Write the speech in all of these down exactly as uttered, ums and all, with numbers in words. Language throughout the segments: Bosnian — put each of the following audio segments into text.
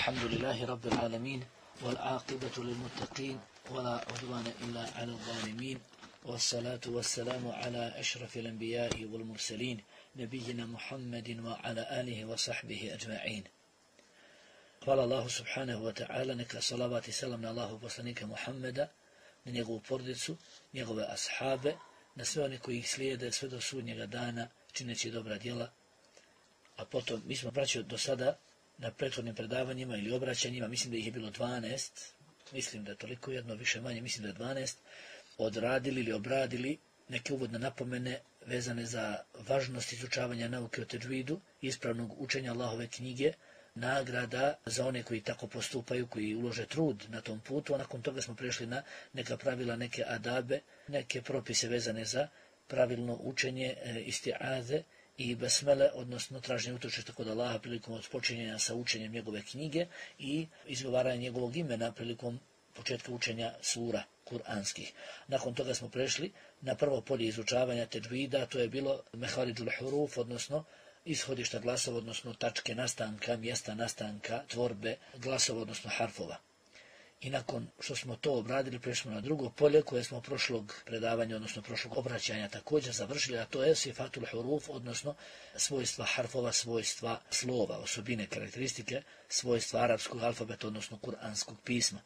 الحمد لله رب العالمين والعاقبة للمتقين ولا عدوان إلا على الظالمين والصلاة والسلام على أشرف الأنبياء والمرسلين نبينا محمد وعلى آله وصحبه أجمعين. قال الله سبحانه وتعالى نك صلوات سلام الله poslanika Muhammeda, na njegovu porodicu, njegove ashabe, na sve one koji ih slijede sve do sudnjega dana čineći dobra djela. A potom, mi smo braćo do sada na prethodnim predavanjima ili obraćanjima, mislim da ih je bilo dvanaest, mislim da je toliko jedno, više manje, mislim da je dvanaest, odradili ili obradili neke uvodne napomene vezane za važnost izučavanja nauke o tedžidu, ispravnog učenja Allahove knjige, nagrada za one koji tako postupaju, koji ulože trud na tom putu, a nakon toga smo prešli na neka pravila, neke adabe, neke propise vezane za pravilno učenje e, isti'aze i besmele, odnosno traženje utočišta kod Allaha prilikom odpočinjenja sa učenjem njegove knjige i izgovaranje njegovog imena prilikom početka učenja sura kuranskih. Nakon toga smo prešli na prvo polje izučavanja tedžvida, to je bilo meharidžul huruf, odnosno ishodišta glasova, odnosno tačke nastanka, mjesta nastanka, tvorbe glasova, odnosno harfova. I nakon što smo to obradili, prešli na drugo polje koje smo prošlog predavanja, odnosno prošlog obraćanja također završili, a to je sifatul huruf, odnosno svojstva harfova, svojstva slova, osobine, karakteristike, svojstva arapskog alfabeta, odnosno kuranskog pisma.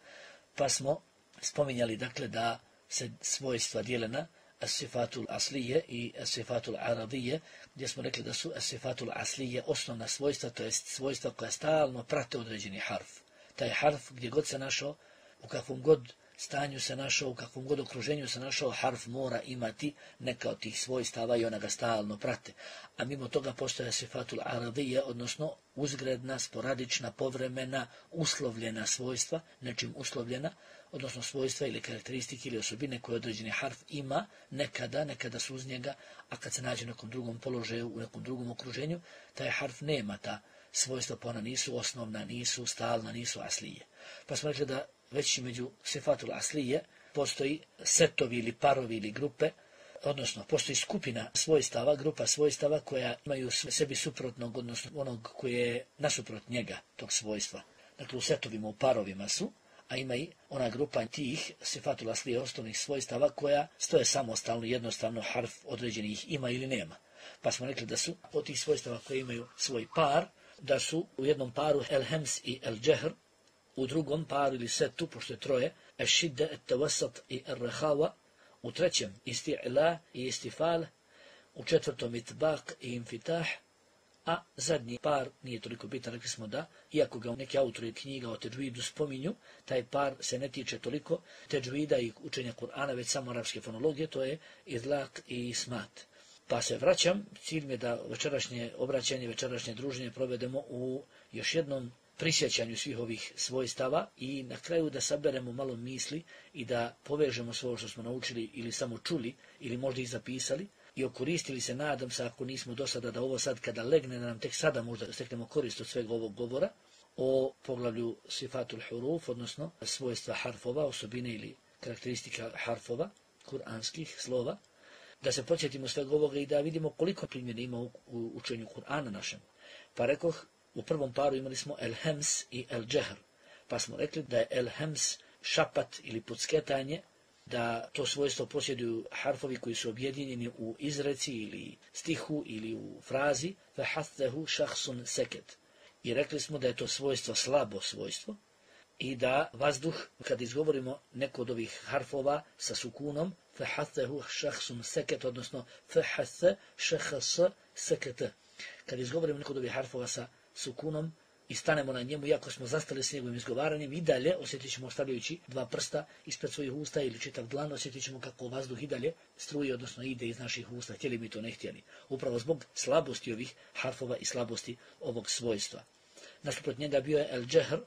Pa smo spominjali dakle da se svojstva dijele na as-sifatul aslije i as-sifatul aradije, gdje smo rekli da su as-sifatul aslije osnovna svojstva, to jest svojstva koja stalno prate određeni harf. Taj harf gdje god se našao, u kakvom god stanju se našao, u kakvom god okruženju se našao, harf mora imati neka od tih svojstava i ona ga stalno prate. A mimo toga postoje sifatul aradije, odnosno uzgredna, sporadična, povremena, uslovljena svojstva, nečim uslovljena, odnosno svojstva ili karakteristike ili osobine koje određeni harf ima nekada, nekada su uz njega, a kad se nađe u nekom drugom položaju, u nekom drugom okruženju, taj harf nema ta svojstva, pa ona nisu osnovna, nisu stalna, nisu aslije. Pa smo rekli da već među sifatul aslije postoji setovi ili parovi ili grupe, odnosno postoji skupina svojstava, grupa svojstava koja imaju sebi suprotnog, odnosno onog koje je nasuprot njega, tog svojstva. Dakle, u setovima, u parovima su, a ima i ona grupa tih sifatul aslije osnovnih svojstava koja stoje samostalno, jednostavno harf određenih ima ili nema. Pa smo rekli da su od tih svojstava koje imaju svoj par, da su u jednom paru el-hems i el-džehr, u drugom paru ili setu, pošto je troje, el-šidde, el-tawasat i el-rehawa, u trećem isti'la i istifal, u četvrtom itbaq i infitah, a zadnji par nije toliko bitan, rekli smo da, iako ga neki autori knjiga o tedžvidu spominju, taj par se ne tiče toliko tedžvida i učenja Kur'ana, već samo arapske fonologije, to je idlaq i ismat. Pa se vraćam, cilj mi je da večerašnje obraćanje, večerašnje druženje provedemo u još jednom prisjećanju svih ovih svojstava i na kraju da saberemo malo misli i da povežemo sve ovo što smo naučili ili samo čuli ili možda i zapisali i okoristili se, nadam se, ako nismo do sada, da ovo sad kada legne, da nam tek sada možda steknemo korist od svega ovog govora o poglavlju sifatul huruf, odnosno svojstva harfova, osobine ili karakteristika harfova, kuranskih slova, da se podsjetimo svega ovoga i da vidimo koliko primjera ima u učenju Kur'ana našem. Pa rekoh, u prvom paru imali smo el-hems i el-džehr, pa smo rekli da je el-hems šapat ili podsketanje, da to svojstvo posjeduju harfovi koji su objedinjeni u izreci ili stihu ili u frazi, fehattehu šahsun seket. I rekli smo da je to svojstvo slabo svojstvo i da vazduh, kad izgovorimo neko od ovih harfova sa sukunom, fehattehu šahsun seket, odnosno fehathe šahas seket. Kad izgovorimo neko od ovih harfova sa sukunom i stanemo na njemu, iako smo zastali s njegovim izgovaranjem, i dalje osjetit ćemo ostavljajući dva prsta ispred svojih usta ili čitav dlan, osjetit ćemo kako vazduh i dalje struje, odnosno ide iz naših usta, htjeli mi to ne htjeli. Upravo zbog slabosti ovih harfova i slabosti ovog svojstva. Nasuprot njega bio je el-džehr,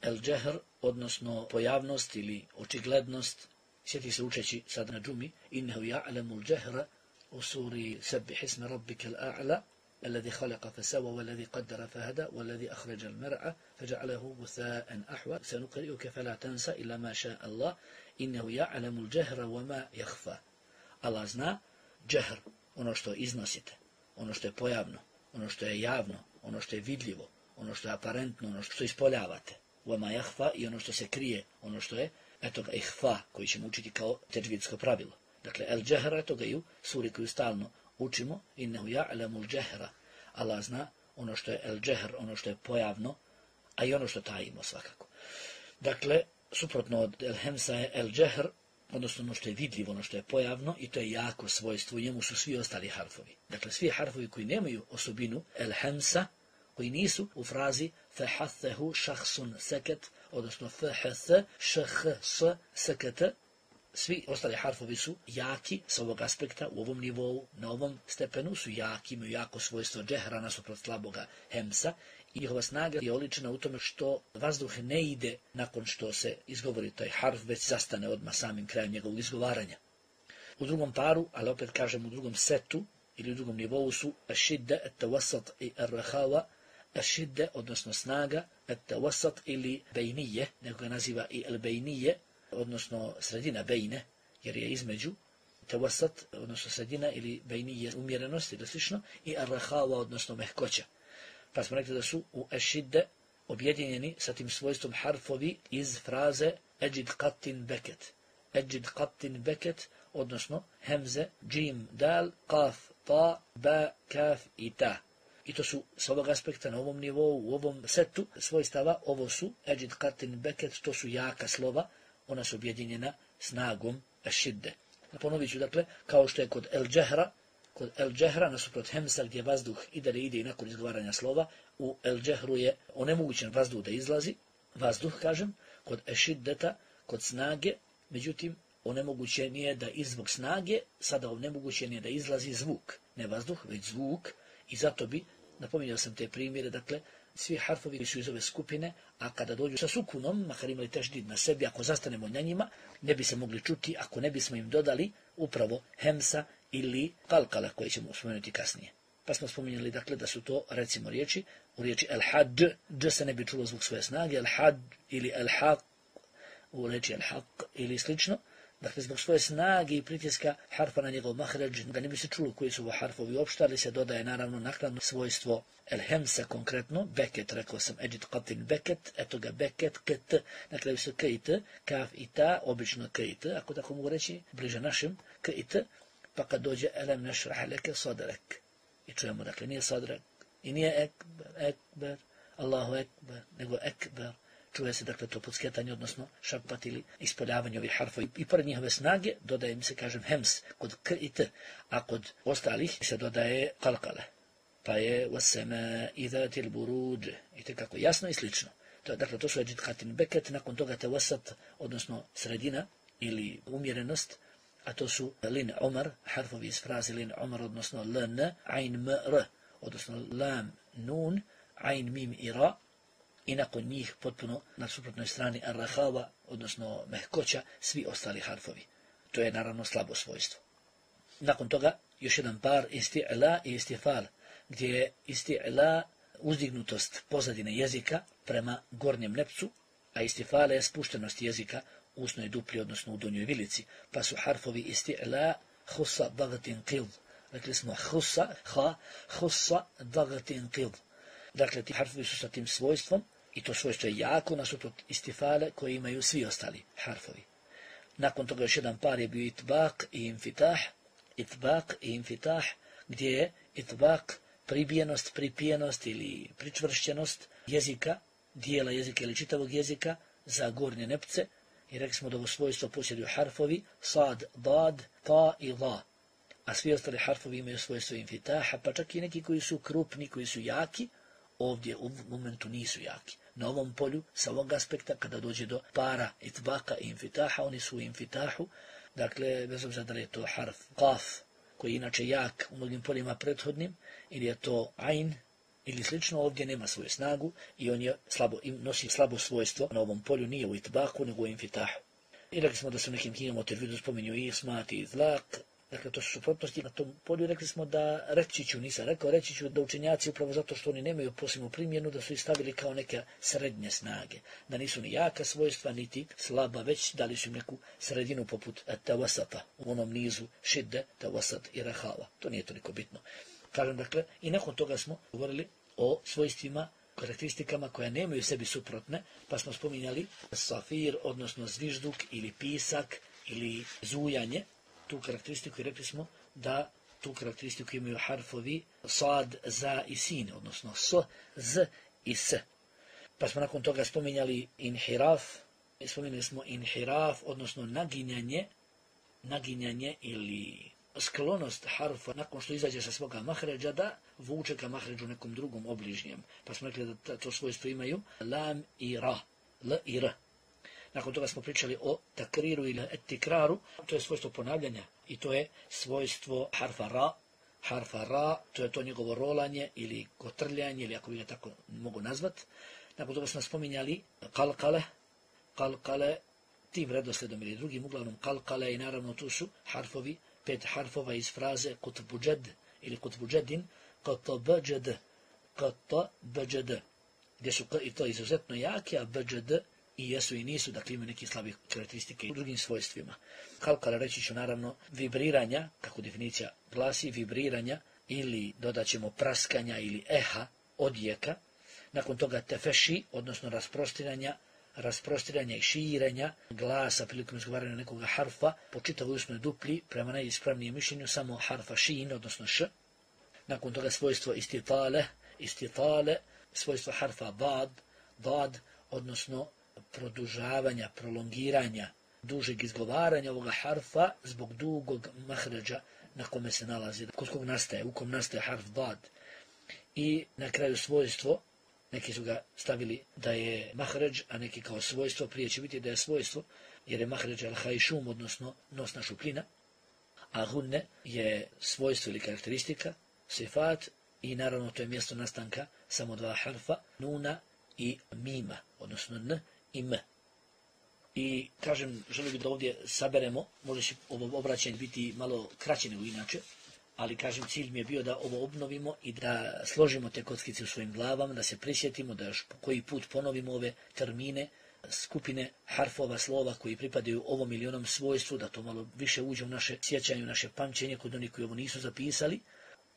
el-džehr, odnosno pojavnost ili očiglednost. Sjeti se učeći sad na džumi, innehu ja'lemul džehra u suri sebbih isme rabbike al-a'la, الذي خلق فسوى والذي قدر فهدى والذي أخرج المرعى فجعله غثاء أحوى سنقرئك فلا تنسى إلا ما شاء الله إنه يعلم الجهر وما يخفى. Allah zna džehr, ono što iznosite, ono što je pojavno, ono što je javno, ono što je vidljivo, ono što je aparentno, ono što ispoljavate. Vama jahfa i ono što se krije, ono što je, eto ga ihfa, koji ćemo učiti kao teđvidsko pravilo. Dakle, el džehra, eto ga i u suri koju stalno učimo, innehu ja'lamul džehra. Allah zna ono što je el džehr, ono što je pojavno, a i ono što tajimo svakako. Dakle, suprotno od el hemsa je el džehr, odnosno ono što je vidljivo, ono što je pojavno, i to je jako svojstvo, u njemu su svi ostali harfovi. Dakle, svi harfovi koji nemaju osobinu el hemsa, koji nisu u frazi fehathahu šahsun seket, odnosno fehath šahs seket, svi ostali harfovi su jaki s ovog aspekta, u ovom nivou, na ovom stepenu su jaki, imaju jako svojstvo džehra nasuprot slaboga hemsa, i njihova snaga je oličena u tome što vazduh ne ide nakon što se izgovori taj harf, već zastane odmah samim krajem njegovog izgovaranja. U drugom paru, ali opet kažem u drugom setu ili u drugom nivou su ašidde, etawasat i arrahava, ašidde, odnosno snaga, etawasat ili bejnije, nego ga naziva i el bejnije, odnosno sredina bejne, jer je između tawasat, odnosno sredina ili bejnije umjerenost ili slično, i arrahava, odnosno mehkoća. Pa smo rekli da su u ešidde objedinjeni sa tim svojstvom harfovi iz fraze eđid qatin beket. Eđid qatin beket, odnosno hemze, džim, dal, qaf, ta, ba, kaf i ta. I to su s ovog aspekta na ovom nivou, u ovom setu svojstava, ovo su eđid qatin beket, to su jaka slova, ona su objedinjena snagom ešidde. Ponovit ću, dakle, kao što je kod el džehra, kod el džehra, nasuprot hemsa, gdje vazduh i dalje ide i nakon izgovaranja slova, u el džehru je onemogućen vazduh da izlazi, vazduh, kažem, kod ešiddeta, kod snage, međutim, onemogućen je da izvog snage, sada onemogućen je da izlazi zvuk, ne vazduh, već zvuk, i zato bi, napominjao sam te primjere, dakle, svi harfovi koji su iz ove skupine, a kada dođu sa sukunom, makar imali teždid na sebi, ako zastanemo na njima, ne bi se mogli čuti ako ne bismo im dodali upravo hemsa ili kalkala koje ćemo spomenuti kasnije. Pa smo spominjali, dakle, da su to, recimo, riječi, u riječi el-had, dž se ne bi čulo zvuk svoje snage, el-had ili el-haq, u riječi el-haq ili slično. Dakle, zbog svoje snage i pritiska harfa na njegov mahređ, da ne bi se čulo koji su ovo harfovi uopšte, ali se dodaje naravno naknadno svojstvo el-hemsa konkretno, beket, rekao sam, eđid qatin beket, eto ga beket, ket, na kraju se k i t, kaf i ta, obično k i t, ako tako mogu reći, bliže našim, k i t, pa kad dođe elem nešrah leke sadrek. I čujemo, dakle, nije sadrek, i nije ekber, ekber, Allahu ekber, nego ekber. Čuje se, dakle, to podskjetanje, odnosno šapat ili ispoljavanje ovih harfova. I pored njihove snage dodaje mi se, kažem, hems kod k i t, a kod ostalih se dodaje kalkale. Pa je wasama idhatil buruj, i tekako jasno i slično. To, dakle, to su eđid qatin beket, nakon toga te wasat, odnosno sredina ili umjerenost, a to su lin umar, harfovi iz fraze lin umar, odnosno ln, ain m r, odnosno lam nun, ain mim i ra, i nakon njih potpuno na suprotnoj strani arrahava, odnosno mehkoća, svi ostali harfovi. To je naravno slabo svojstvo. Nakon toga još jedan par isti'la i istifal, gdje je isti'la uzdignutost pozadine jezika prema gornjem nepcu, a istifale je spuštenost jezika u usnoj dupli, odnosno u donjoj vilici, pa su harfovi isti'la husa dagatin qid. Rekli smo husa, ha, husa dagatin qid. Dakle, ti harfovi su sa tim svojstvom, i to svojstvo je jako nasuprot istifale koje imaju svi ostali harfovi. Nakon toga još jedan par je bio itbaq i infitah, itbaq i infitah, gdje je itbaq pribijenost, pripijenost ili pričvršćenost jezika, dijela jezika ili čitavog jezika za gornje nepce, i rekli smo da ovo svojstvo posjeduju harfovi sad, dad, ta i la. A svi ostali harfovi imaju svojstvo infitaha, pa čak i neki koji su krupni, koji su jaki, ovdje u momentu nisu jaki. Na ovom polju, sa ovog aspekta, kada dođe do para itbaka i infitaha, oni su u infitahu, dakle, bez obzira da li je to harf qaf, koji je inače jak u mnogim poljima prethodnim, ili je to ain, ili slično, ovdje nema svoju snagu i on je slabo, nosi slabo svojstvo na ovom polju, nije u itbaku, nego u infitahu. I rekli smo da su nekim knjigama u tervidu spominju i ismat i izlak, dakle, to su suprotnosti na tom polju. Rekli smo da reći ću, nisam rekao, reći ću da učenjaci, upravo zato što oni nemaju posebnu primjenu, da su ih stavili kao neke srednje snage, da nisu ni jaka svojstva, niti slaba, već dali su im neku sredinu poput tawasata, u onom nizu šidde, tawasat i rahava. To nije toliko bitno. Kažem, dakle, i nakon toga smo govorili o svojstvima karakteristikama koja nemaju u sebi suprotne, pa smo spominjali safir, odnosno zvižduk ili pisak ili zujanje, tu karakteristiku i rekli smo da tu karakteristiku imaju harfovi sad, za i sin, odnosno s, z i s. Pa smo nakon toga spominjali inhiraf, spominjali smo inhiraf, odnosno naginjanje, naginjanje ili sklonost harfa nakon što izađe sa svoga mahređa da vuče ka mahređu nekom drugom obližnjem. Pa smo rekli da to svojstvo imaju lam i ra, l i r. Nakon toga smo pričali o takriru ili etikraru, to je svojstvo ponavljanja i to je svojstvo harfa ra, harfa ra, to je to njegovo rolanje ili kotrljanje, ili ako bi ga tako mogu nazvat. Nakon toga smo spominjali kalkale, kalkale, tim redosledom ili drugim, uglavnom kalkale i naravno tu su harfovi, pet harfova iz fraze kutbuđed ili kutbuđedin, katabađed, katabađed, gdje su k i to izuzetno jake, a bđd i jesu i nisu, dakle imaju neke slabe karakteristike u drugim svojstvima. Kalkale reći ću naravno vibriranja, kako definicija glasi, vibriranja ili dodat ćemo praskanja ili eha, odjeka. Nakon toga tefeši, odnosno rasprostiranja, rasprostiranja i širenja glasa prilikom izgovaranja nekoga harfa po čitavoj usnoj duplji, prema najispravnijem mišljenju samo harfa šin, odnosno š. Nakon toga svojstvo istitale, istitale, svojstvo harfa bad, bad, odnosno produžavanja, prolongiranja, dužeg izgovaranja ovoga harfa zbog dugog mahređa na kome se nalazi, kod kog nastaje, u kom nastaje harf bad. I na kraju svojstvo, neki su ga stavili da je mahređ, a neki kao svojstvo, prije će biti da je svojstvo, jer je mahređ al-hajšum, odnosno nosna šupljina, a hunne je svojstvo ili karakteristika, sifat, i naravno to je mjesto nastanka samo dva harfa, nuna i mima, odnosno n i m. I kažem, želim da ovdje saberemo, može će ovo obraćanje biti malo kraće nego inače, ali kažem, cilj mi je bio da ovo obnovimo i da složimo te kockice u svojim glavama, da se prisjetimo, da još koji put ponovimo ove termine, skupine harfova, slova koji pripadaju ovom ili onom svojstvu, da to malo više uđe u naše sjećanje, u naše pamćenje kod onih koji ovo nisu zapisali,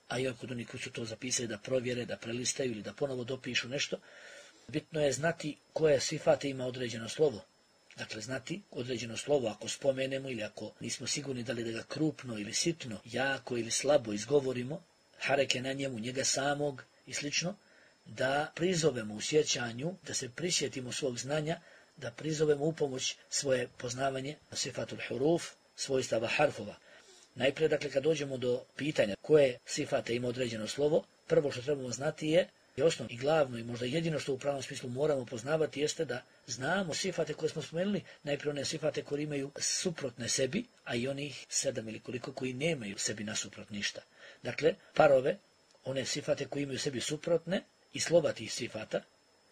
a i kod onih koji su to zapisali da provjere, da prelistaju ili da ponovo dopišu nešto. Bitno je znati koje sifate ima određeno slovo. Dakle, znati određeno slovo, ako spomenemo ili ako nismo sigurni da li da ga krupno ili sitno, jako ili slabo izgovorimo, hareke na njemu, njega samog i slično, da prizovemo u sjećanju, da se prisjetimo svog znanja, da prizovemo u pomoć svoje poznavanje sifatul huruf, svojstava harfova. Najprije, dakle, kad dođemo do pitanja koje sifate ima određeno slovo, prvo što trebamo znati je, i osnovno i glavno i možda jedino što u pravom smislu moramo poznavati jeste da znamo sifate koje smo spomenuli, najprije one sifate koje imaju suprotne sebi, a i onih sedam ili koliko koji nemaju sebi nasuprot ništa. Dakle, parove, one sifate koje imaju sebi suprotne i slova tih sifata,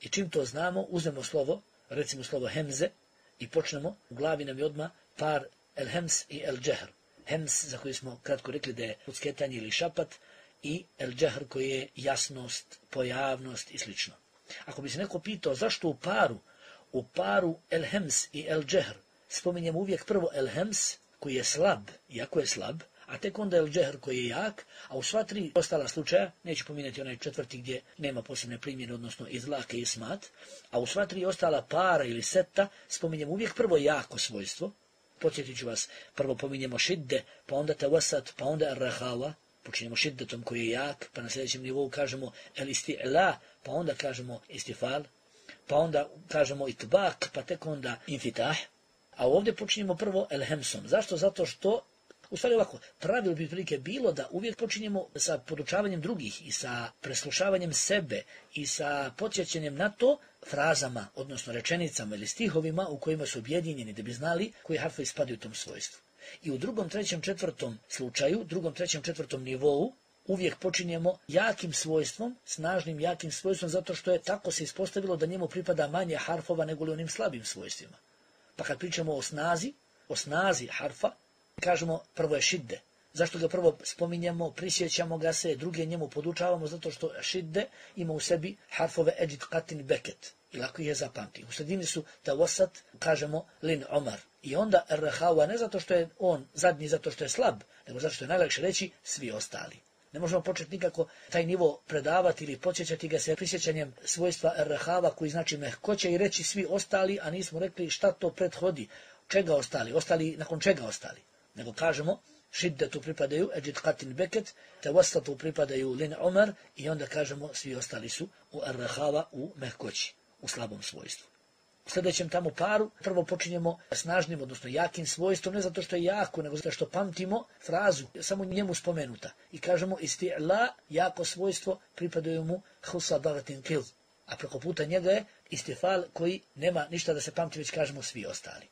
i čim to znamo, uzmemo slovo, recimo slovo hemze, i počnemo, u glavi nam je odmah par el hems i el džehr. Hems, za koji smo kratko rekli da je ucketanje ili šapat, i el džehr koji je jasnost, pojavnost i slično. Ako bi se neko pitao zašto u paru, u paru el hems i el džehr spominjemo uvijek prvo el hems koji je slab, jako je slab, a tek onda el džehr koji je jak, a u sva tri ostala slučaja, neću pominjati onaj četvrti gdje nema posebne primjene, odnosno izlake i smat, a u sva tri ostala para ili seta spominjemo uvijek prvo jako svojstvo. Podsjetit ću vas, prvo pominjemo šidde, pa onda tawasat, pa onda ar-rahava, počinjemo šiddetom koji je jak, pa na sljedećem nivou kažemo el isti'la, pa onda kažemo istifal, pa onda kažemo itbak, pa tek onda infitah, a ovdje počinjemo prvo el hemsom. Zašto? Zato što, u stvari ovako, pravilo bi prilike bilo da uvijek počinjemo sa podučavanjem drugih i sa preslušavanjem sebe i sa podsjećanjem na to frazama, odnosno rečenicama ili stihovima u kojima su objedinjeni da bi znali koji harfovi spadaju u tom svojstvu. I u drugom, trećem, četvrtom slučaju, drugom, trećem, četvrtom nivou, uvijek počinjemo jakim svojstvom, snažnim jakim svojstvom, zato što je tako se ispostavilo da njemu pripada manje harfova nego li onim slabim svojstvima. Pa kad pričamo o snazi, o snazi harfa, kažemo prvo je šidde. Zašto ga prvo spominjemo, prisjećamo ga se, druge njemu podučavamo, zato što šidde ima u sebi harfove eđit katin beket. I lako ih je zapamti. U sredini su tawasat, kažemo lin omar. I onda ar-rahawa ne zato što je on zadnji, zato što je slab, nego zato što je najlakše reći svi ostali. Ne možemo početi nikako taj nivo predavati ili podsjećati ga se prisjećanjem svojstva errahava koji znači mehkoće i reći svi ostali, a nismo rekli šta to prethodi, čega ostali, ostali nakon čega ostali. Nego kažemo šiddetu pripadaju Eđid Katin Beket, Tevastatu pripadaju Lin Umar i onda kažemo svi ostali su u errahava, u mehkoći, u slabom svojstvu. U sljedećem tamo paru prvo počinjemo snažnim, odnosno jakim svojstvom, ne zato što je jako, nego zato što pamtimo frazu, samo njemu spomenuta. I kažemo isti'la, jako svojstvo, pripadaju mu husa bagatin kil. A preko puta njega je istifal koji nema ništa da se pamti, već kažemo svi ostali.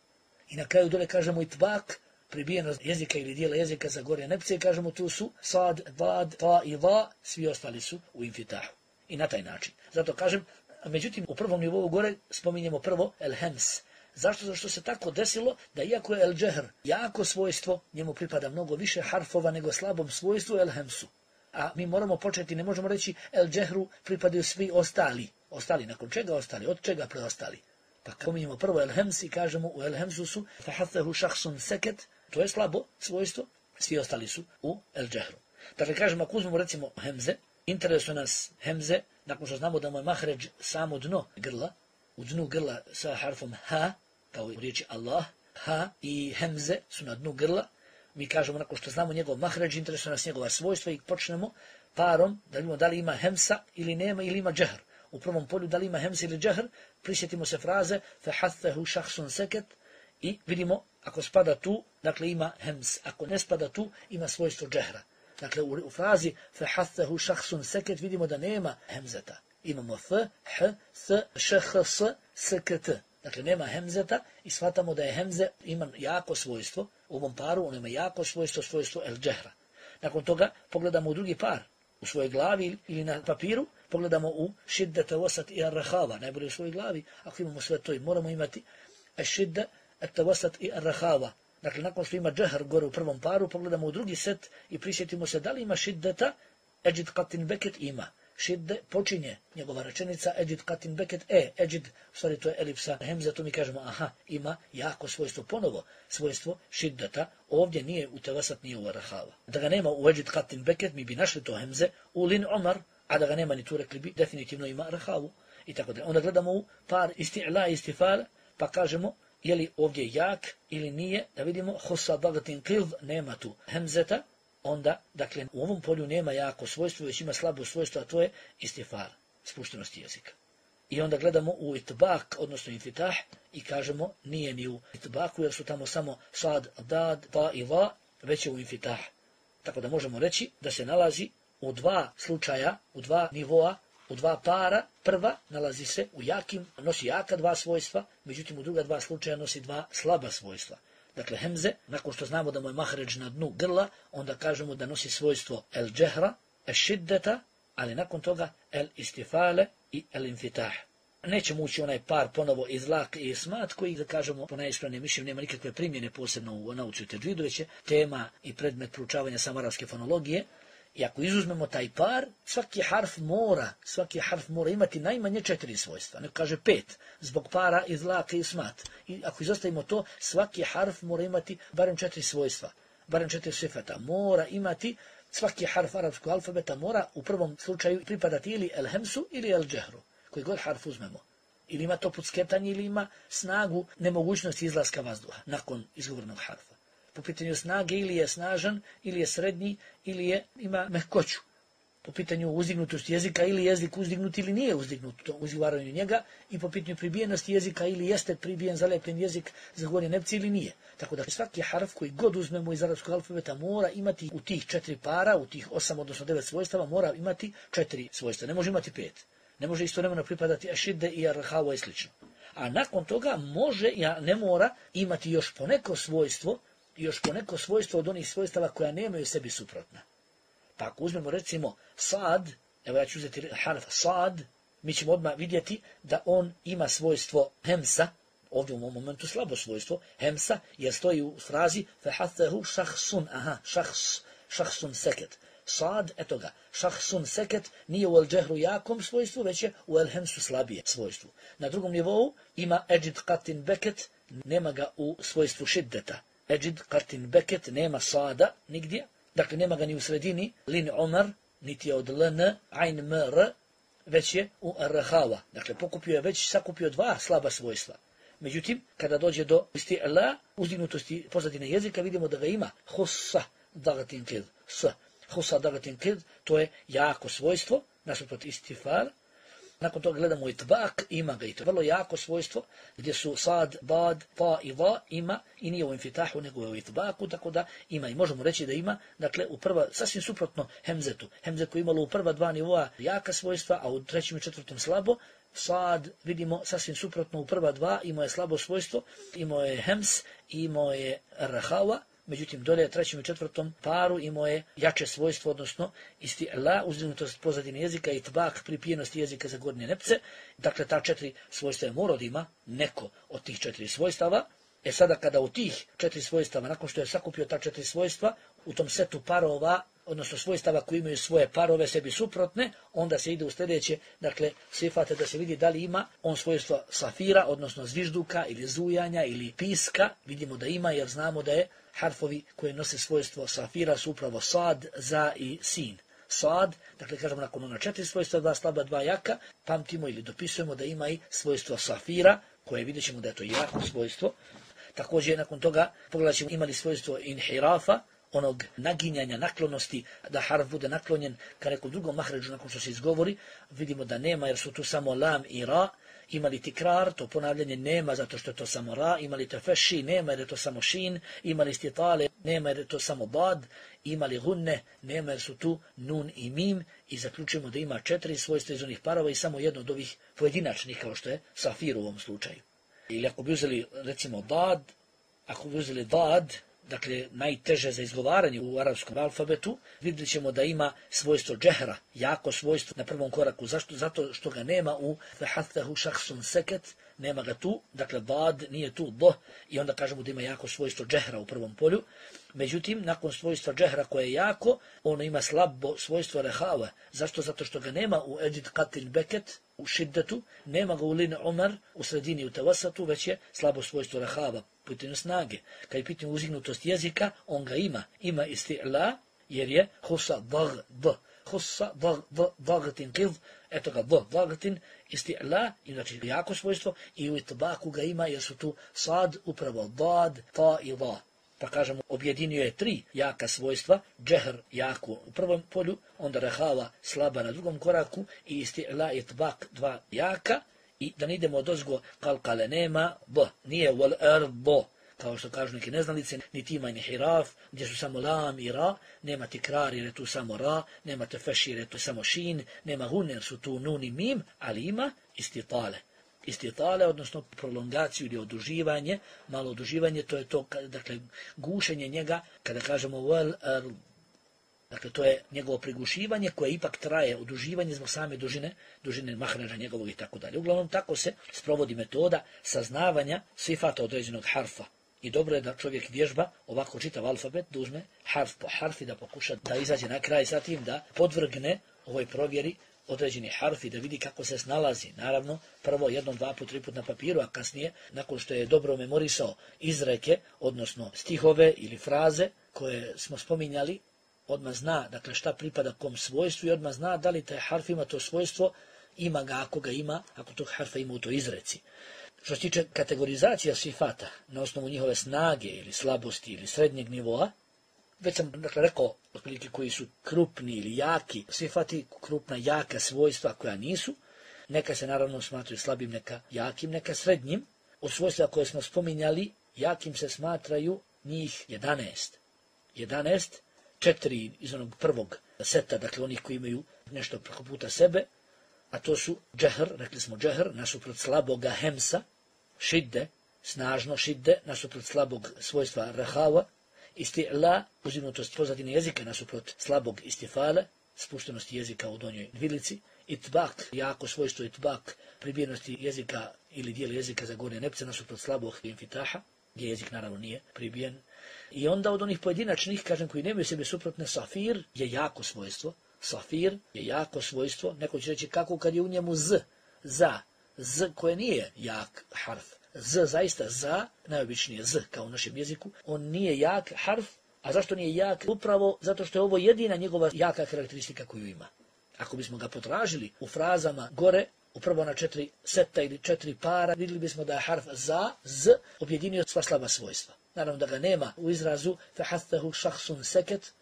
I na kraju dole kažemo itbak, pribijenost jezika ili dijela jezika za gore nepce, i kažemo tu su sad, vad, ta i va, svi ostali su u infitahu. I na taj način. Zato kažem, međutim, u prvom nivou gore spominjemo prvo el-hems. Zašto? Zašto se tako desilo da iako je el-džehr jako svojstvo, njemu pripada mnogo više harfova nego slabom svojstvu el-hemsu. A mi moramo početi, ne možemo reći el-džehru pripadaju svi ostali. Ostali, nakon čega ostali? Od čega preostali? Pa spominjemo prvo el-hems i kažemo u el-hemsu su fahathahu šahsun seket, to je slabo svojstvo, svi ostali su u el-džehru. Dakle, kažemo, ako uzmemo recimo hemze, interesuje nas hemze, nakon što znamo da mu je mahređ samo dno grla, u dnu grla sa harfom ha, kao u riječi Allah, ha i hemze su na dnu grla, mi kažemo nakon što znamo njegov mahređ, interesuje nas njegova svojstva i počnemo parom da vidimo da li ima hemsa ili nema ili ima džehr. U prvom polju da li ima hemsa ili džehr, prisjetimo se fraze fahathahu šahsun seket i vidimo ako spada tu, dakle ima hems, ako ne spada tu, ima svojstvo džehra. Dakle, u, u frazi fahathahu šahsun seket vidimo da nema hemzeta. Imamo f, h, s, š, h, s, s, k, t. Dakle, nema hemzeta i shvatamo da je hemze ima jako svojstvo. U ovom paru on ima jako svojstvo, svojstvo el džehra. Nakon toga pogledamo u drugi par, u svojoj glavi ili na papiru, pogledamo u šiddete wasat i arrahava, najbolje u svojoj glavi. Ako imamo sve to i moramo imati šidde, ete wasat i arrahava. Dakle, nakon što ima džehr gore u prvom paru, pogledamo u drugi set i prisjetimo se da li ima šiddeta, Eđid Katin Beket ima. Šidde počinje njegova rečenica Eđid Katin Beket, e, Eđid, u stvari to je elipsa hemze, tu mi kažemo, aha, ima jako svojstvo, ponovo svojstvo šiddeta, ovdje nije u tevasat, nije u arahava. Da ga nema u Eđid Katin Beket, mi bi našli to hemze u Lin Umar, a da ga nema ni tu rekli bi, definitivno ima arahavu i tako da. Onda gledamo u par isti'la i istifala, pa kažemo, je li ovdje jak ili nije, da vidimo, husa bagatin kilv, nema tu hemzeta, onda, dakle, u ovom polju nema jako svojstvo, već ima slabo svojstvo, a to je istifal, spuštenost jezika. I onda gledamo u itbak, odnosno infitah, i kažemo, nije ni u itbaku, jer su tamo samo sad, dad, pa i va, već je u infitah. Tako da možemo reći da se nalazi u dva slučaja, u dva nivoa, u dva para, prva nalazi se u jakim, nosi jaka dva svojstva, međutim u druga dva slučaja nosi dva slaba svojstva. Dakle, hemze, nakon što znamo da mu je mahređ na dnu grla, onda kažemo da nosi svojstvo el džehra, el šiddeta, ali nakon toga el istifale i el infitah. Nećemo ući onaj par ponovo izlak i ismat, koji, da kažemo, po najispravnijem mišljenju nema nikakve primjene posebno u nauci u tedžidu, već je tema i predmet proučavanja samarafske fonologije. I ako izuzmemo taj par, svaki harf mora, svaki harf mora imati najmanje četiri svojstva. Neko kaže pet, zbog para izlaka i smat. I ako izostavimo to, svaki harf mora imati barem četiri svojstva, barem četiri sifata. Mora imati, svaki harf arapskog alfabeta mora u prvom slučaju pripadati ili el hemsu ili el džehru, koji god harf uzmemo. Ili ima to pucketanje, ili ima snagu nemogućnosti izlaska vazduha nakon izgovornog harfa. Po pitanju snage ili je snažan, ili je srednji, ili je, ima mehkoću. Po pitanju uzdignutosti jezika, ili jezik uzdignut ili nije uzdignut u izgovaranju njega, i po pitanju pribijenosti jezika, ili jeste pribijen, zalepljen jezik za govorje nepci ili nije. Tako da svaki harf koji god uzmemo iz arapskog alfabeta mora imati u tih četiri para, u tih osam, odnosno devet svojstava, mora imati četiri svojstva. Ne može imati pet. Ne može istovremeno pripadati ašidde i arhava i slično. A nakon toga može, ja ne mora imati još poneko svojstvo, još poneko svojstvo od onih svojstava koja nemaju sebi suprotna. Pa ako uzmemo recimo sad, evo ja ću uzeti harf sad, mi ćemo odmah vidjeti da on ima svojstvo hemsa, ovdje u ovom momentu slabo svojstvo, hemsa, jer stoji u frazi fahathahu šahsun, aha, šahs, šahsun seket. Sad, eto ga, šahsun seket nije u el džehru jakom svojstvu, već je u el hemsu slabije svojstvu. Na drugom nivou ima Eđid Katin Beket, nema ga u svojstvu šiddeta. Eđid Katin Beket nema sada nigdje. Dakle, nema ga ni u sredini, lin umar, niti je od ln, ain mr, već je u rhava. Dakle, pokupio je već sakupio dva slaba svojstva. Međutim, kada dođe do isti'la, uzdignutosti pozadine jezika, vidimo da ga ima hussa dagatin kid, s. Hussa dagatin kid, to je jako svojstvo, nasuprot istifal. Nakon toga gledamo itbak, ima ga i to vrlo jako svojstvo, gdje su sad, dad, ta i va, ima, i nije u infitahu, nego je u itbaku, tako da ima. I možemo reći da ima, dakle, u prva, sasvim suprotno hemzetu. Hemzetu imalo u prva dva nivoa jaka svojstva, a u trećem i četvrtom slabo. Sad, vidimo, sasvim suprotno u prva dva, imao je slabo svojstvo, imao je hems, imao je rhava, međutim, dolje trećem i četvrtom paru imao je jače svojstvo, odnosno isti'la, uzdignutost pozadine jezika, itbak, pripijenost jezika za gornje nepce. Dakle, ta četiri svojstva je morao da ima neko od tih četiri svojstava. E sada, kada u tih četiri svojstava, nakon što je sakupio ta četiri svojstva, u tom setu parova, odnosno svojstava koji imaju svoje parove sebi suprotne, onda se ide u sljedeće, dakle, sifate da se vidi da li ima on svojstva safira, odnosno zvižduka ili zujanja ili piska. Vidimo da ima, jer znamo da je harfovi koji nose svojstvo safira su upravo sad, za i sin. Sad, dakle, kažemo nakon ona četiri svojstva, dva slaba, dva jaka, pamtimo ili dopisujemo da ima i svojstvo safira, koje vidjet ćemo da je to jako svojstvo. Također, nakon toga, pogledat ćemo imali svojstvo inhirafa, onog naginjanja, naklonosti, da harf bude naklonjen ka nekom drugom mahređu nakon što se izgovori. Vidimo da nema, jer su tu samo lam i ra. Imali tikrar, to ponavljanje nema zato što je to samo ra. Imali tefeši, nema jer je to samo šin. Imali stitale, nema jer je to samo bad. Imali gunne, nema jer su tu nun i mim. I zaključujemo da ima četiri svojstva iz onih parova i samo jedno od ovih pojedinačnih, kao što je safir u ovom slučaju. Ili ako bi uzeli, recimo, dad, ako bi uzeli dad, dakle, najteže za izgovaranje u arapskom alfabetu, vidjet ćemo da ima svojstvo džehra, jako svojstvo na prvom koraku. Zašto? Zato što ga nema u fehathahu šahsun seket, nema ga tu, dakle, bad nije tu, do, i onda kažemo da ima jako svojstvo džehra u prvom polju. Međutim, nakon svojstva džehra koje je jako, ono ima slabo svojstvo rehava. Zašto? Zato što ga nema u edit katil beket, u šiddetu, nema ga u lin umar, u sredini u tevasatu, već je slabo svojstvo rehava, pitanje snage. Kad je pitanje uzignutost jezika, on ga ima. Ima isti'la, jer je husa dag, d. Husa dag, d, dagatin kiv, eto ga, d, dagatin, isti'la, i znači jako svojstvo, i u itbaku ga ima, jer su tu sad, upravo dad, ta i da. Pa kažemo, objedinio je tri jaka svojstva, džehr jako u prvom polju, onda rehava slaba na drugom koraku i isti'la itbak dva jaka, i da ne idemo od ozgo kalkale nema, b, nije wal erbo, kao što kažu neki neznalice, niti ima ni hiraf, gdje su samo lam i ra, nema tikrar jer je tu samo ra, nema tefeš jer je tu samo šin, nema hun jer su tu nun i mim, ali ima istitale. Istitale, odnosno prolongaciju ili oduživanje, malo oduživanje, to je to, dakle, gušenje njega, kada kažemo wal erbo. Dakle, to je njegovo prigušivanje koje ipak traje, oduživanje zbog same dužine, dužine mahređa njegovog i tako dalje. Uglavnom, tako se sprovodi metoda saznavanja sifata određenog harfa. I dobro je da čovjek vježba ovako čitav alfabet, da uzme harf po harf i da pokuša da izađe na kraj sa tim, da podvrgne ovoj provjeri određeni harf i da vidi kako se snalazi. Naravno, prvo jednom, dva put, tri put na papiru, a kasnije, nakon što je dobro memorisao izreke, odnosno stihove ili fraze koje smo spominjali, odmah zna, dakle, šta pripada kom svojstvu i odmah zna da li taj harf ima to svojstvo, ima ga ako ga ima, ako tog harfa ima u toj izreci. Što se tiče kategorizacija sifata na osnovu njihove snage ili slabosti ili srednjeg nivoa, već sam, dakle, rekao otprilike koji su krupni ili jaki sifati, krupna, jaka svojstva koja nisu, neka se naravno smatraju slabim, neka jakim, neka srednjim. Od svojstva koje smo spominjali, jakim se smatraju njih jedanaest. jedanaest, četiri iz onog prvog seta, dakle onih koji imaju nešto preko puta sebe, a to su džehr, rekli smo džehr, nasuprot slaboga hemsa, šidde, snažno šidde, nasuprot slabog svojstva rehava, isti'la, uzimnutost pozadine jezika, nasuprot slabog istifale, spuštenosti jezika u donjoj dvilici, itbak, jako svojstvo itbak, pribijenosti jezika ili dijela jezika za gornje nepce, nasuprot slabog infitaha, gdje jezik naravno nije pribijen. I onda od onih pojedinačnih, kažem, koji nemaju sebe suprotne, safir je jako svojstvo. Safir je jako svojstvo. Neko će reći kako kad je u njemu z, za, z koje nije jak harf. Z, zaista za, najobičnije z, kao u našem jeziku, on nije jak harf, A zašto nije jak? Upravo zato što je ovo jedina njegova jaka karakteristika koju ima. Ako bismo ga potražili u frazama gore, upravo na četiri seta ili četiri para, vidjeli bismo da je harf za, z, objedinio sva slaba svojstva. Naravno da ga nema u izrazu fehathahu šahsun seket.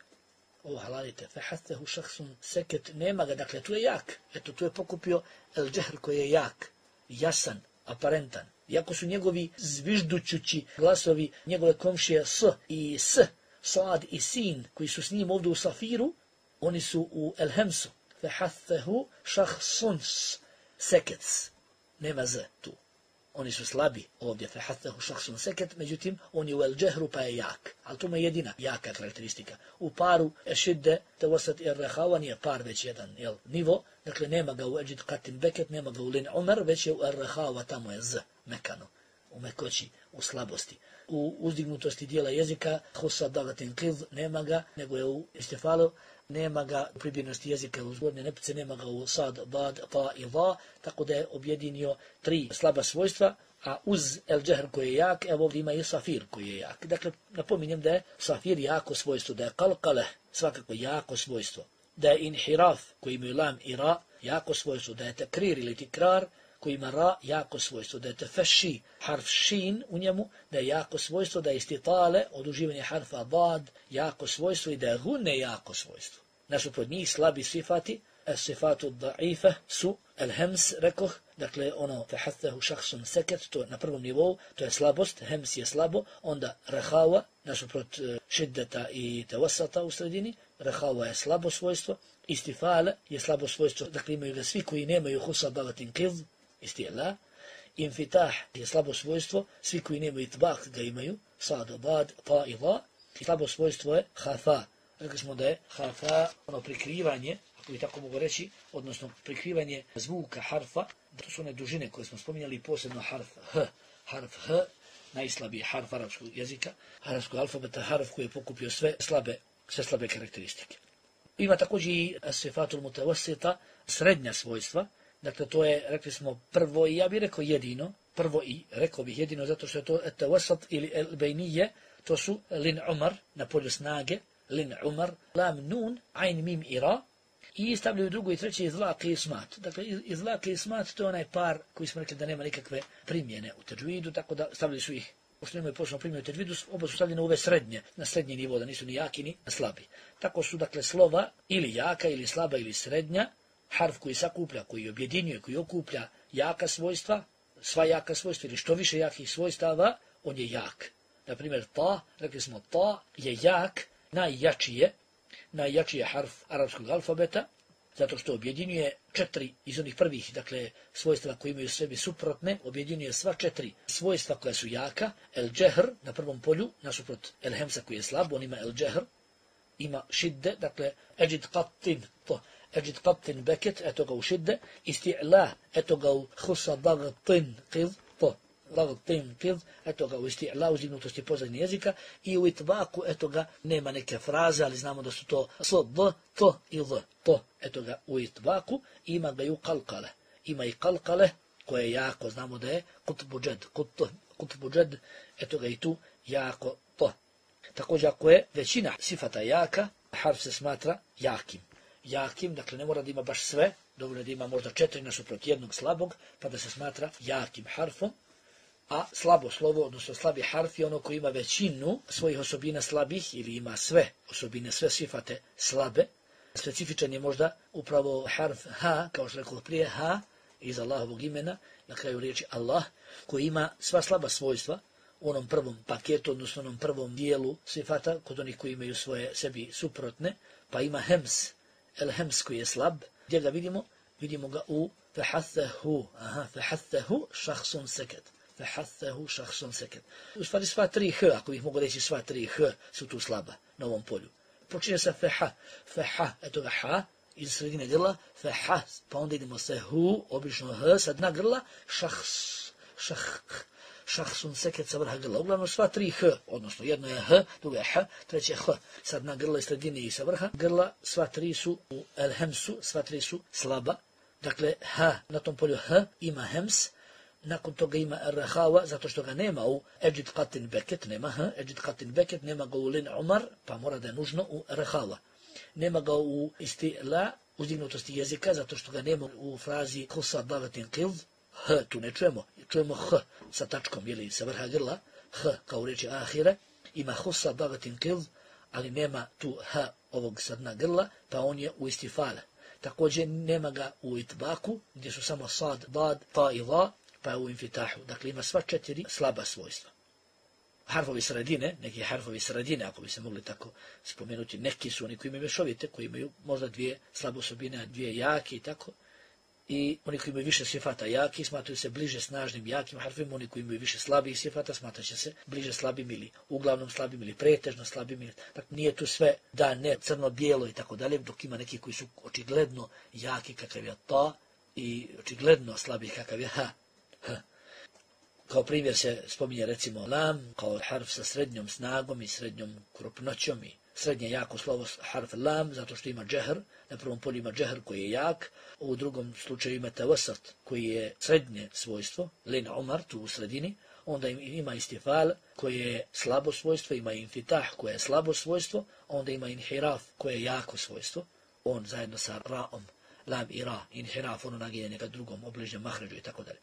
Ovo halalite, fehathahu šahsun seket, nema ga, dakle tu je jak. Eto, tu je pokupio el džehr koji je jak, jasan, aparentan. Iako su njegovi zviždućući glasovi, njegove komšije s i s, sad i sin, koji su s njim ovdje u safiru, oni su u el hemsu. Fehathahu šahsun seket. Nema z tu. Oni su slabi ovdje, fehathahu šahsun seket, međutim, on je u el džehru pa je jak. Ali to je jedina jaka karakteristika. U paru ešidde, tevosat i arrehavan je par već jedan jel, nivo, dakle nema ga u eđid katin beket, nema ga u lin umar, već je u arrehava, tamo je z, mekano, u mekoći, u slabosti. U uzdignutosti dijela jezika, husa dagatin qiz, nema ga, nego je u istifalu, nema ga u pribirnosti jezika u zgodne nepice, nema ga u sad, bad, ta i va, tako da je objedinio tri slaba svojstva, a uz el džehr koji je jak, evo ovdje ima i safir koji je jak. Dakle, napominjem da je safir jako svojstvo, da je kalkale svakako jako svojstvo, da je inhiraf koji imaju lam i ra jako svojstvo, da je tekrir ili tikrar koji ima ra jako svojstvo, da je tefeši harf šin u njemu, da je jako svojstvo, da je istitale, oduživanje harfa bad, jako svojstvo i da je gunne jako svojstvo. Nasuprot njih slabi sifati, sifatu da'ife su el hems, rekoh, dakle ono fehathahu šahsun seket, to na prvom nivou, to je slabost, hems je slabo, onda rehawa, nasuprot šiddeta i tevasata u sredini, rehawa je slabo svojstvo, istifale je slabo svojstvo, dakle imaju ga svi koji nemaju husa dagatin qiz, istijela, infitah je slabo svojstvo, svi koji nemaju itbak ga imaju, sad, bad, ta i la, i slabo svojstvo je hafa. Rekli smo da je hafa ono prikrivanje, ako bi tako mogu reći, odnosno prikrivanje zvuka harfa, to su one dužine koje smo spominjali, posebno harf h, harf h, najslabiji harf arapskog jezika, arapskog alfabeta, harf koji je pokupio sve slabe, sve slabe karakteristike. Ima također i sifatul mutawasita, srednja svojstva. Dakle, to je, rekli smo, prvo i ja bih rekao jedino, prvo i, rekao bih jedino, zato što je to etawasat ili el-bejnije, to su lin umar, na polju snage, lin umar, lam nun, ain mim i ra, i stavljaju drugo i treće izlak i ismat. Dakle, izlak i ismat, to je onaj par koji smo rekli da nema nikakve primjene u teđvidu, tako da stavljaju su ih, pošto nemaju posebno primjene u teđvidu, oba su stavljene u ove srednje, na srednji nivo, da nisu ni jaki ni slabi. Tako su, dakle, slova ili jaka, ili slaba, ili srednja, harf koji sakuplja, koji objedinjuje, koji okuplja jaka svojstva, sva jaka svojstva ili što više jakih svojstava, on je jak. Naprimjer, ta, rekli smo, ta je jak, najjači je, najjači je harf arapskog alfabeta, zato što objedinjuje četiri iz onih prvih, dakle, svojstva koji imaju sebi suprotne, objedinjuje sva četiri svojstva koja su jaka, el džehr na prvom polju, nasuprot el hemsa koji je slab, on ima el džehr, ima šidde, dakle, eđid qatin, to, eđid qatin beket, eto ga u šidde, isti'la, eto ga u husa dagatin qiz, to, dagatin qiz, eto ga u isti'la, uzdignutosti pozadnje jezika, i u itbaku, eto ga, nema neke fraze, ali znamo da su to s, d, t i z, to, eto ga u itbaku, ima ga i u kalkale, ima i kalkale, koje je jako, znamo da je kutbu džed, kut, kutbu džed, eto ga i tu jako to. Također ako je većina sifata jaka, harf se smatra jakim. Jakim, dakle ne mora da ima baš sve, dovoljno da ima možda četiri nasuprot jednog slabog, pa da se smatra jakim harfom, a slabo slovo, odnosno slabi harf je ono koji ima većinu svojih osobina slabih ili ima sve osobine, sve sifate slabe. Specifičan je možda upravo harf ha, kao što rekao prije, ha, iz Allahovog imena, na kraju riječi Allah, koji ima sva slaba svojstva, u onom prvom paketu, odnosno onom prvom dijelu sifata, kod onih koji imaju svoje sebi suprotne, pa ima hems, el hems koji je slab. Gdje ga vidimo? Vidimo ga u fehathahu, aha, fehathahu šahsun seket, fehathahu šahsun seket. U stvari sva tri h, ako bih mogu reći sva tri h, su tu slaba na ovom polju. Počinje sa feha, feha, eto ga ha, iz sredine grla, feha, pa onda idemo se hu, obično h, sa dna grla, šahs, šah, šahsun seket sa vrha grla. Uglavnom sva tri h, odnosno jedno je h, drugo je h, treće je h, sa dna grla i sredine i sa vrha grla, sva tri su u el hemsu, sva tri su slaba. Dakle, h, na tom polju h ima hems, nakon toga ima Rahava, zato što ga nema u Eđid Qatin Beket, nema ha, Eđid Qatin Beket, nema ga u Lin Umar, pa mora da je nužno u Rahava. Nema ga u Istila, uzdignutosti jezika, zato što ga nema u frazi Husa Davatin Qilv, H, tu ne čujemo, čujemo H sa tačkom, ili sa vrha grla, H kao u reči ahire, ima Husa Davatin Qilv, ali nema tu H ovog sa dna grla, pa on je u istifale. Također nema ga u itbaku, gdje su samo sad, dad, ta i la, pa je u infitahu. Dakle, ima sva četiri slaba svojstva. Harfovi sredine, neki harfovi sredine, ako bi se mogli tako spomenuti, neki su oni koji imaju mešovite, koji imaju možda dvije slabe osobine, dvije jake i tako. I oni koji imaju više sifata jaki, smatruju se bliže snažnim jakim harfima, oni koji imaju više slabih sifata, smatraće se bliže slabim ili uglavnom slabim ili pretežno slabim. Ili, dakle, nije tu sve da ne crno-bijelo i tako dalje, dok ima neki koji su očigledno jaki kakav je ta i očigledno slabi kakav je ha. ha. Kao primjer se spominje recimo lam, kao harf sa srednjom snagom i srednjom krupnoćom i srednje jako slovo harf lam, zato što ima džehr, na prvom polju ima džehr koji je jak, u drugom slučaju ima tavasat koji je srednje svojstvo, lin umar tu u sredini, onda ima istifal koje je slabo svojstvo, ima infitah koje je slabo svojstvo, onda ima inhiraf koje je jako svojstvo, on zajedno sa raom, lam i ra, inhiraf, ono naginjenje ka drugom, obližnjem mahređu i tako dalje.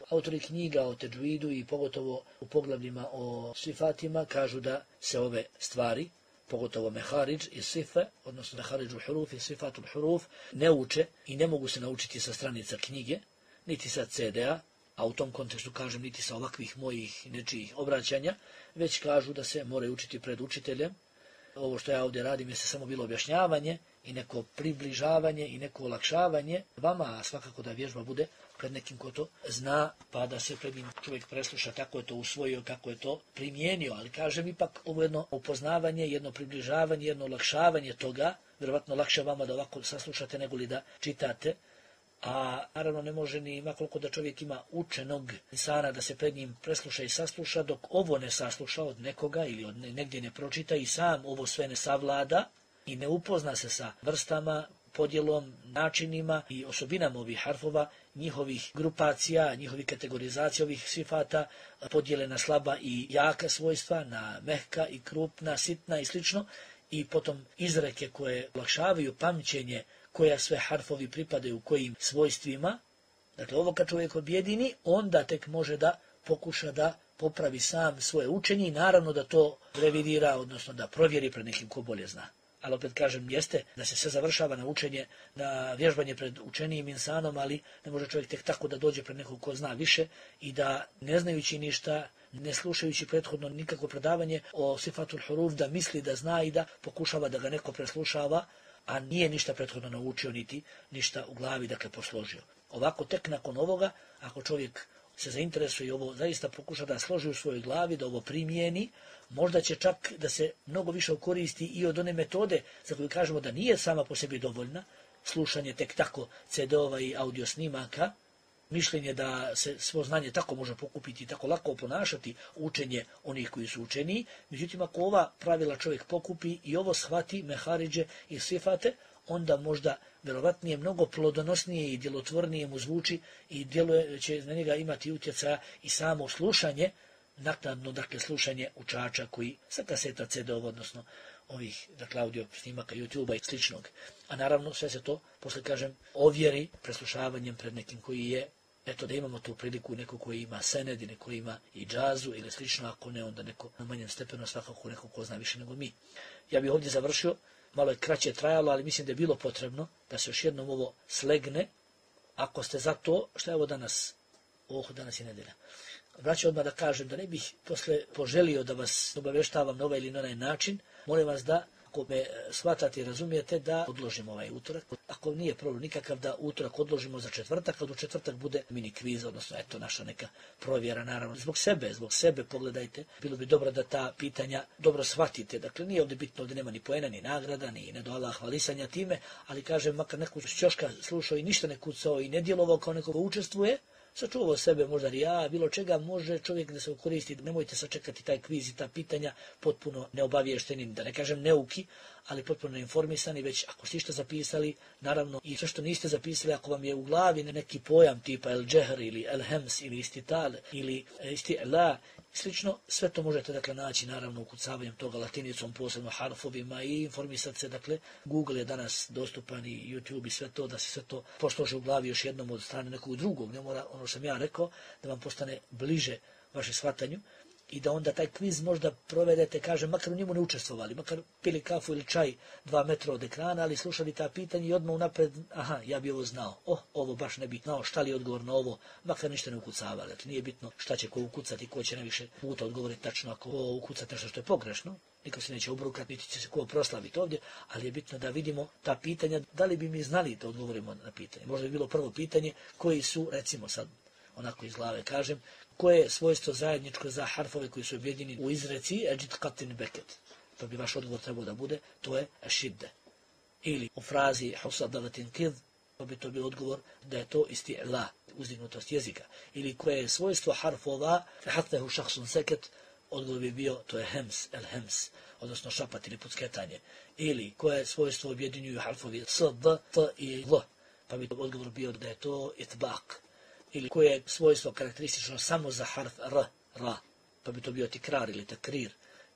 Autori knjiga o teđvidu i pogotovo u poglavljima o sifatima kažu da se ove stvari, pogotovo mehariđ i sife, odnosno mehariđu huruf i sifatul huruf, ne uče i ne mogu se naučiti sa stranica knjige, niti sa ce de a, a u tom kontekstu kažem niti sa ovakvih mojih nečijih obraćanja, već kažu da se moraju učiti pred učiteljem. Ovo što ja ovdje radim je se samo bilo objašnjavanje i neko približavanje i neko olakšavanje vama, a svakako da vježba bude pred nekim ko to zna, pa da se pred njim čovjek presluša kako je to usvojio, kako je to primijenio, ali kažem ipak ovo jedno upoznavanje, jedno približavanje, jedno olakšavanje toga, vjerovatno lakše vama da ovako saslušate nego li da čitate, a naravno ne može ni makoliko da čovjek ima učenog insana da se pred njim presluša i sasluša, dok ovo ne sasluša od nekoga ili od negdje ne pročita i sam ovo sve ne savlada i ne upozna se sa vrstama, podjelom, načinima i osobinama ovih harfova, njihovih grupacija, njihovih kategorizacija ovih sifata, podjele na slaba i jaka svojstva, na mehka i krupna, sitna i slično, i potom izreke koje olakšavaju pamćenje koja sve harfovi pripadaju kojim svojstvima. Dakle, ovo kad čovjek objedini, onda tek može da pokuša da popravi sam svoje učenje i naravno da to revidira, odnosno da provjeri pred nekim ko bolje zna. Ali opet kažem, jeste da se sve završava na učenje, na vježbanje pred učenijim insanom, ali ne može čovjek tek tako da dođe pred nekog ko zna više i da ne znajući ništa, ne slušajući prethodno nikakvo predavanje o sifatul huruf, da misli da zna i da pokušava da ga neko preslušava, a nije ništa prethodno naučio, niti ništa u glavi, dakle, posložio. Ovako, tek nakon ovoga, ako čovjek se zainteresuje i ovo zaista pokuša da složi u svojoj glavi, da ovo primijeni, možda će čak da se mnogo više koristi i od one metode za koju kažemo da nije sama po sebi dovoljna, slušanje tek tako ce de ova i audio snimaka, mišljenje da se svo znanje tako može pokupiti i tako lako ponašati učenje onih koji su učeniji. Međutim, ako ova pravila čovjek pokupi i ovo shvati, mehariđe i sifate, onda možda vjerovatnije mnogo plodonosnije i djelotvornije mu zvuči i djeluje, će na njega imati utjecaja i samo slušanje, naknadno, dakle, slušanje učača koji sa kaseta ce de ova, odnosno ovih, dakle, audio snimaka YouTube-a i sličnog. A naravno, sve se to, posle kažem, ovjeri preslušavanjem pred nekim koji je, eto, da imamo tu priliku neko koji ima sened, neko koji ima i džazu ili slično, ako ne, onda neko na manjem stepenu, svakako neko ko zna više nego mi. Ja bih ovdje završio, malo je kraće trajalo, ali mislim da je bilo potrebno da se još jednom ovo slegne, ako ste za to, što je ovo danas, oh, danas je nedelja. Vraćam odmah da kažem da ne bih posle poželio da vas obavještavam na ovaj ili na onaj način, molim vas da, ako me shvatate i razumijete, da odložimo ovaj utorak. Ako nije problem nikakav, da utorak odložimo za četvrtak, kad u četvrtak bude mini kviz, odnosno eto naša neka provjera, naravno. Zbog sebe, zbog sebe pogledajte, bilo bi dobro da ta pitanja dobro shvatite. Dakle, nije ovdje bitno, ovdje nema ni poena, ni nagrada, ni ne do Allah hvalisanja time, ali kažem, makar neko šćoška slušao i ništa ne kucao i ne djelovao kao neko ko učestvuje, sačuvao sebe, možda rija, bilo čega, može čovjek da se koristi. Nemojte sačekati taj kviz i ta pitanja potpuno neobavještenim, da ne kažem neuki, ali potpuno neinformisani, već ako ste što zapisali, naravno i sve što niste zapisali, ako vam je u glavi neki pojam tipa el džehr ili el hems ili istital ili isti'la, slično, sve to možete dakle naći naravno ukucavanjem toga latinicom, posebno harfovima i informisati se, dakle Google je danas dostupan i YouTube i sve to, da se sve to posloži u glavi još jednom od strane nekog drugog, ne mora ono što sam ja rekao, da vam postane bliže vaše shvatanju i da onda taj kviz možda provedete, kažem, makar u njemu ne učestvovali, makar pili kafu ili čaj dva metra od ekrana, ali slušali ta pitanja i odmah unapred, aha, ja bi ovo znao, oh, ovo baš ne bi znao, šta li je odgovor na ovo, makar ništa ne ukucavali. Dakle, nije bitno šta će ko ukucati, ko će najviše puta odgovoriti tačno, ako ko ukucati nešto što je pogrešno, niko se neće obrukati, niti će se ko proslaviti ovdje, ali je bitno da vidimo ta pitanja, da li bi mi znali da odgovorimo na pitanje. Možda bi bilo prvo pitanje, koji su, recimo sad, onako iz glave kažem, koje je svojstvo zajedničko za harfove koji su objedinjeni u izreci eđid katin beket. Pa bi vaš odgovor trebao da bude, to je šidde. Ili u frazi husadalatin kid, pa bi to bio odgovor da je to isti'la, uzdignutost jezika. Ili koje je svojstvo harfova, fehatnehu šahsun seket, odgovor bi bio, to je hems, el hems, odnosno šapat ili pucketanje. Ili koje je svojstvo objedinjuju harfovi s, d, t i l, pa bi odgovor bio da je to itbak. Ili koje je svojstvo karakteristično samo za harf r, ra, pa bi to bio tikrar ili takrir,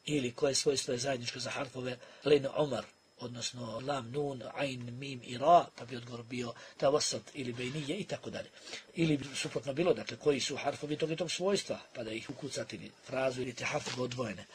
ili koje svojstvo je zajedničko za harfove lejn umar, odnosno lam, nun, ain, mim i ra, pa bi odgovor bio tavasat ili bejnije i tako dalje. Ili bi suprotno bilo, dakle, koji su harfovi tog i tog svojstva, pa da ih ukucati ili frazu ili te harfove odvojene.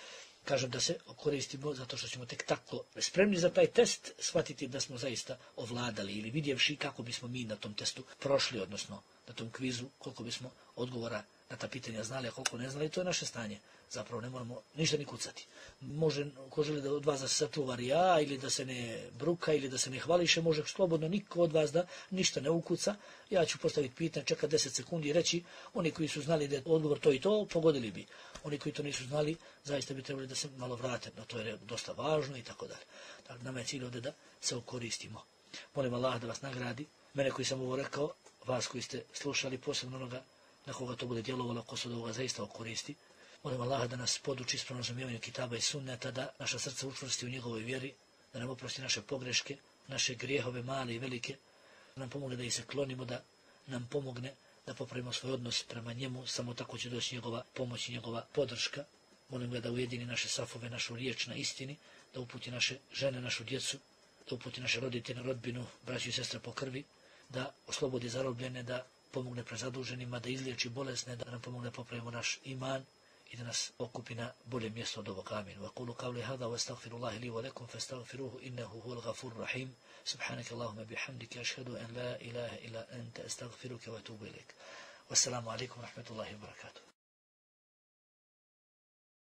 Kažem da se koristimo zato što ćemo tek tako spremni za taj test shvatiti da smo zaista ovladali ili vidjevši kako bismo mi na tom testu prošli, odnosno na tom kvizu, koliko bismo odgovora na ta pitanja znali, a koliko ne znali, to je naše stanje. Zapravo ne moramo ništa ni kucati. Može, ko želi da od vas da se sačuva rija, ili da se ne bruka, ili da se ne hvališe, može slobodno niko od vas da ništa ne ukuca. Ja ću postaviti pitanje, čekati deset sekundi i reći, oni koji su znali da je odgovor to i to, pogodili bi. Oni koji to nisu znali, zaista bi trebali da se malo vrate, no to je dosta važno i tako dalje. Dakle, nama je cilj ovdje da se okoristimo. Molim Allah da vas nagradi. Mene koji sam ovo rekao, vas koji ste slušali, posebno onoga na koga to bude djelovalo, ko se od ovoga zaista okoristi. Molim Allaha da nas poduči ispravnom razumijevanju kitaba i sunneta, da naša srca učvrsti u njegovoj vjeri, da nam oprosti naše pogreške, naše grijehove male i velike, da nam pomogne da ih se klonimo, da nam pomogne da popravimo svoj odnos prema njemu, samo tako će doći njegova pomoć i njegova podrška. Molim ga da ujedini naše safove, našu riječ na istini, da uputi naše žene, našu djecu, da uputi naše roditelje, rodbinu, braću i sestre po krvi, da oslobodi zarobljene, da pomogne prezaduženima, da izliječi bolesne, da nam pomogne da popravimo naš iman i da nas okupi na bolje mjesto od ovog. Amin. Wa qulu qawli hadha wa astaghfirullaha li wa lakum fastaghfiruhu innahu huwal ghafurur rahim. Subhanaka Allahumma bihamdika ashhadu an la ilaha illa anta astaghfiruka wa atubu ilaik. Wassalamu alaikum wa rahmatullahi wa barakatuh.